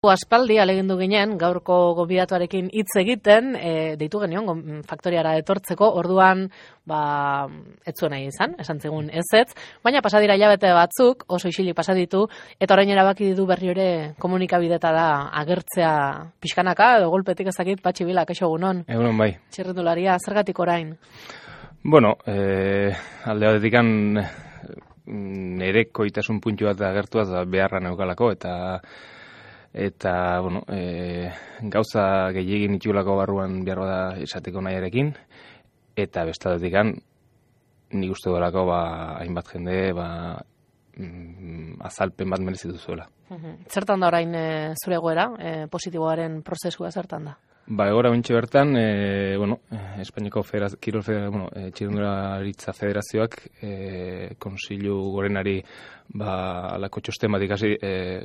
Aspaldi alegindu ginen, gaurko gonbidatuarekin hitz egiten, deitu genion faktoriara etortzeko, orduan, ez zuen nahi izan, esan zigun ez, baina pasadira hilabete batzuk, oso isilik pasaditu, eta orain erabaki ditu berri ere komunikabidetara agertzea pixkanaka, edo golpetik ezakit, Patxi Vila, kaixo egunon. Egunon bai. Txirrindularia, zergatik orain? Bueno, alde batetikan nere koitasun puntu bat agertuaz beharra neukalako, eta bueno, gauza gehiagin itxulako barruan behar da esateko nahiarekin, eta bestadetikan nik uste dolako hainbat jende azalpen bat merezitu zuela. Zertan da orain zure egoera, positiboaren prozesua zertan da? Egoera bintxe bertan, Espainiako Txirrindularitza Federazioak Kontseilu Gorenari alako txosten bat ikasi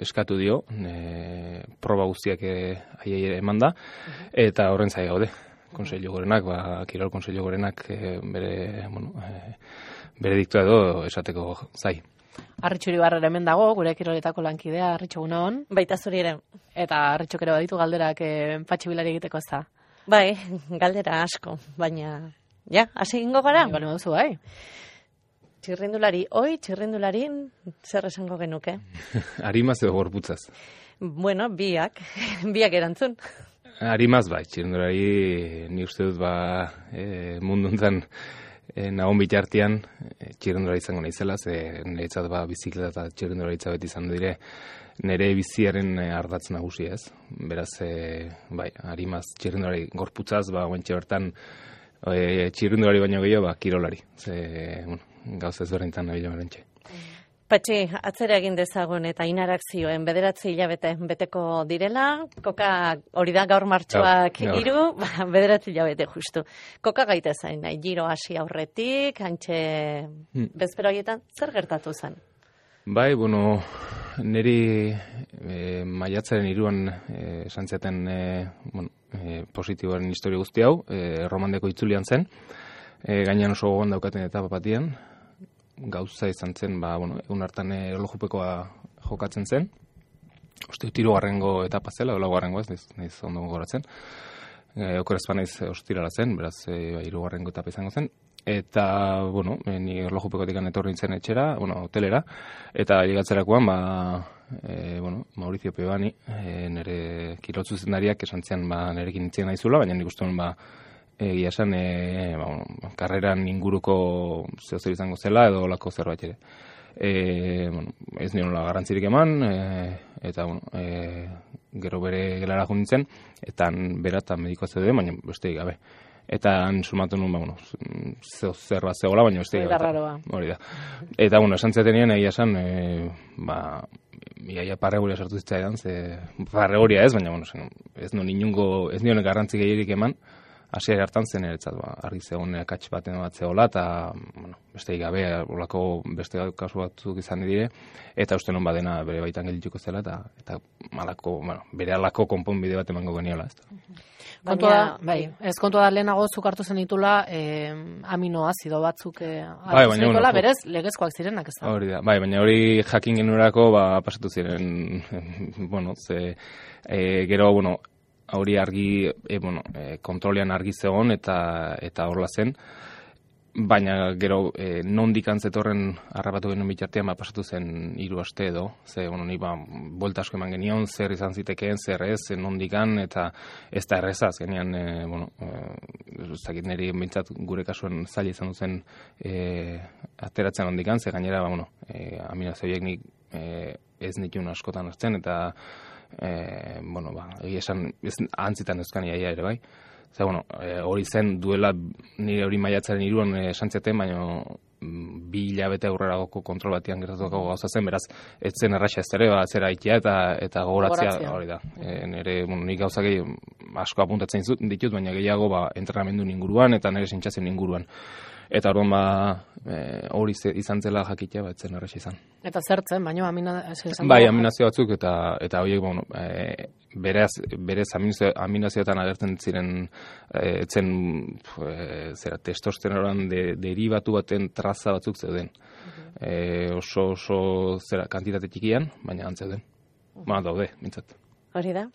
eskatu dio, proba guztiak aiei eman da, eta horren zai gaude. Kontseilu Gorenak, Kirol Kontseilu Gorenak bere diktua edo esateko zai. Arritxu Iribarrera hemen dago, gure kiroletako lankidea, Arritxu egunon. Baita zuri ere. Eta Arritxuk ere baditu galderak Patxi Vilari egiteko ez da. Bai, galdera asko, baina, hasi egingo gara? Bale moduzu, bai. Txirrindularin, zer esango genuke? Arimaz edo gorputzaz? Bueno, biak erantzun. Arimaz bai, txirrindulari ni uste dut mundu honetan nagon bitartean txirrindulari izango naizela, niretzat bizikleta eta txirrindularitza beti izan dire nire biziaren ardatz nagusia ez. Beraz, arimaz txirrindulari gorputzaz, guentxe bertan txirrindulari baino gehiago, kirolari. Gauza ezberdintan nabila berentxe. Patxi, atzera egin dezagun eta inarak zioen 9 hilabete beteko direla, koka hori da gaur martxoak 3, 9 hilabete justu. Koka gaite zain, giro hasi aurretik, hantxe bezpero haietan, zer gertatu zen? Niri maiatzaren 3an esan zaten positiboaren historia guzti hau, Romandeko itzulian zen, gainean oso gogoan daukaten etapa batian, gauza izan zen, egun hartan erlojupekoa jokatzen zen. Uste, 3. etapa zela, 4. ez, nahiz ondo gogoratzen. Okorezpa nahiz ostirala zen, beraz, 3. etapa izango zen. Eta, ni erlojupekotik etorri nintzen etxera, hotelera, eta ligatzerakoan, Maurizio Pebani, nire kiroltzu zendariak esan zian, nirekin nintzen naizula, baina nik uste egia esan, karreran inguruko zehozer izango zela edo olako zerbait ere. Ez niola garrantzirik eman, eta gero bere gelara nintzen, eta beratan medikoa zeuden, baina besteik gabe. Eta han sumatu nuen, zerba zegoela, baina besteik gabe. Hori da. Eta, esan ziatenean, egia esan, iaia parreguria sartu zitzaidan, parreguria ez, baina, ez nioen garrantzik egirik eman, hasiera hartan zen eretzat, argi zegoen akats baten bat zegoela, eta besteik gabe, olako beste kasu batzuk izan dire, eta uste non badena bere baitan gelituko zela, eta bere alako konponbide bat emango geniola. Kontua da lehenago zuk hartu zen ditula aminoazido batzuk berez legezkoak zirenak ez da. Hori da, baina hori jakin genurako pasatu ziren, gero, hori argi, kontrolean argi zegoen eta horla zen, baina gero nondik antzetorren harrapatu genuen bitartean pasatu zen 3 aste edo, ni bolta asko eman genion, zer izan zitekeen, zer ez, nondikan, eta ez da errezaz, genian, zakit niri bintzat gure kasuan zaila izan duzen ateratzen nondikan, ze gainera, aminoazioiek nik ez nituen askotan hartzen, eta egia esan, antzitan euskan iaia ere bai. Hori zen duela nire hori maiatzaren 3an esantziaten, baina 2 hilabete aurreragoko kontrol batian gertatuko gauza zen, beraz, ez zen erraxa ez ere, zera ikia eta gogoratzea hori da. Nire, nik gauzak asko apuntatzen ditut, baina gehiago entrenamendu inguruan eta nire sentsazioen inguruan. Eta orduan hori izan zela jakitea, ez zen erraxa izan. Eta zertzen, baina aminazio aminazio batzuk, eta horiek, berez aminazioetan agertzen ziren testosteronan deribatu baten traza batzuk zeuden. Oso kantitate txikian, baina antzeuden. Daude, mintzat. Hori da.